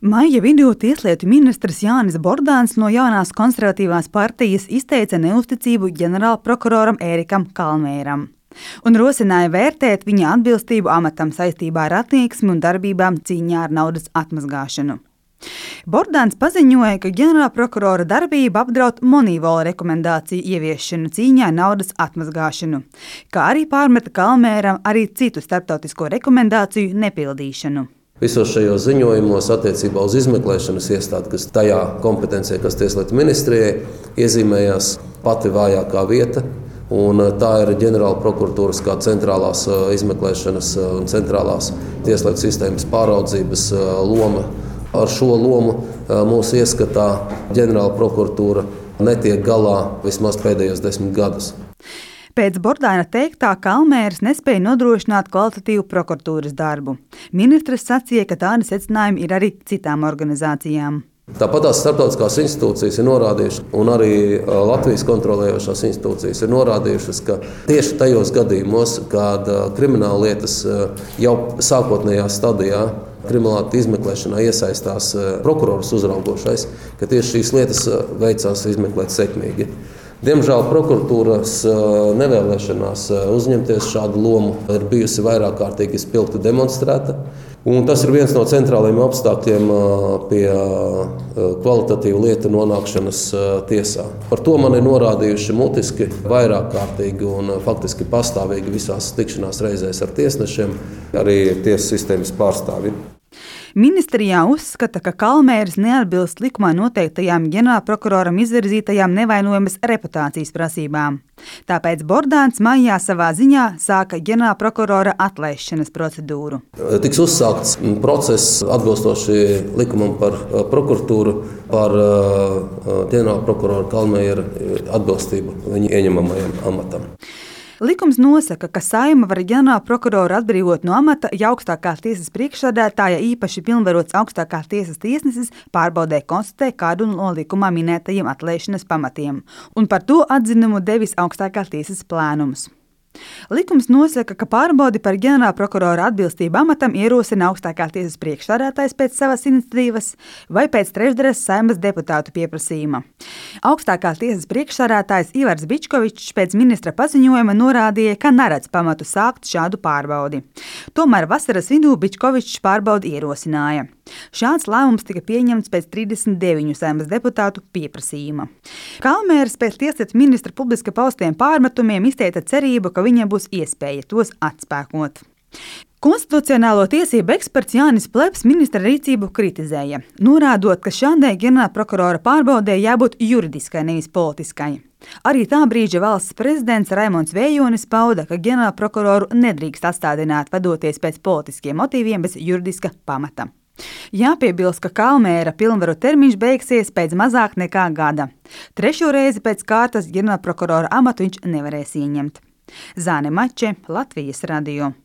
Maija vidū tieslietu ministrs Jānis Bordāns no jaunās konservatīvās partijas izteica neusticību ģenerālprokuroram Ērikam Kalmēram un rosināja vērtēt viņa atbilstību amatam saistībā ar attieksmi un darbībām cīņā ar naudas atmazgāšanu. Bordāns paziņoja, ka ģenerālprokurora darbība apdraud Monīvola rekomendāciju ieviešanu cīņā ar naudas atmazgāšanu, kā arī pārmeta Kalmēram arī citu starptautisko rekomendāciju nepildīšanu. Visos šajos ziņojumos attiecībā uz izmeklēšanas iestādi, kas tajā kompetencijā, kas tieslietu ministrijai, iezīmējās pati vājākā vieta. Un tā ir ģenerāla prokuratūras kā centrālās izmeklēšanas un centrālās tieslietu sistēmas pāraudzības loma. Ar šo lomu mūsu ieskatā ģenerāla prokuratūra netiek galā vismaz pēdējos 10 gadus. Pēc Bordāna teiktā Kalmērs nespēja nodrošināt kvalitatīvu prokuratūras darbu. Ministrs sacīja, ka tādi secinājumi ir arī citām organizācijām. Tāpat tās starptautiskās institūcijas ir norādījušas, un arī Latvijas kontrolējošās institūcijas ir norādījušas, ka tieši tajos gadījumos, kad krimināla lietas jau sākotnējā stadijā krimināla izmeklēšanā iesaistās prokurors uzraugošais, ka tieši šīs lietas veicās izmeklēt sekmīgi. Diemžēl prokuratūras nevēlēšanās uzņemties šādu lomu ir bijusi vairāk kārtīgi spilgti demonstrēta. Un tas ir viens no centrālajiem apstākļiem pie kvalitatīvu lietu nonākšanas tiesā. Par to man ir norādījuši mutiski vairāk kārtīgi un faktiski pastāvīgi visās tikšanās reizēs ar tiesnešiem, arī tiesas sistēmas pārstāvji. Ministrijā uzskata, ka Kalmērs neatbilst likumā noteiktajām ģenerālprokuroram izvirzītajām nevainojamas reputācijas prasībām. Tāpēc Bordāns maijā savā ziņā sāka ģenerālprokurora atlaišanas procedūru. Tiks uzsākts process atbilstoši likumam par prokuratūru par ģenerālprokurora Kalmēra atbilstību viņa ieņemamajam amatam. Likums nosaka, ka Saeima var ģenerālprokuroru atbrīvot no amata, ja augstākās tiesas priekšsēdētāja īpaši pilnvarots augstākās tiesas tiesnesis pārbaudē konstatē kādu no likumā minētajiem atlaišanas pamatiem, un par to atzinumu devis augstākās tiesas plēnums. Likums nosaka, ka pārbaudi par ģenerālprokurora atbilstību amatam ierosina augstākās tiesas priekšsēdētājs pēc savas iniciatīvas vai pēc trešdaļas Saeimas deputātu pieprasījuma. Augstākās tiesas priekšsēdētājs Ivars Bičkovičs pēc ministra paziņojuma norādīja, ka neredz pamatu sākt šādu pārbaudi. Tomēr vasaras vidū Bičkovičs pārbaudi ierosināja. Šāds lēmums tika pieņemts pēc 39 Saeimas deputātu pieprasījuma. Kalmērs pēc tieslietu ministra publiski paustiem pārmetumiem izteica cerību, ka viņam būs iespēja tos atspēkot. Konstitucionālo tiesību eksperts Jānis Plebs ministra rīcību kritizēja, norādot, ka šādai ģenerālprokurora pārbaudē jābūt juridiskai, nevis politiskai. Arī tā brīža valsts prezidents Raimonds Vējonis pauda, ka ģenerālprokuroru nedrīkst atstādināt vadoties pēc politiskiem motīviem bez juridiska pamata. Jāpiebilst, ka Kalmēra pilnvaru termiņš beigsies pēc mazāk nekā gada. Trešo reizi pēc kārtas ģenerālprokurora amatu viņš nevarēs ieņemt. Zāne Mače, Latvijas radio.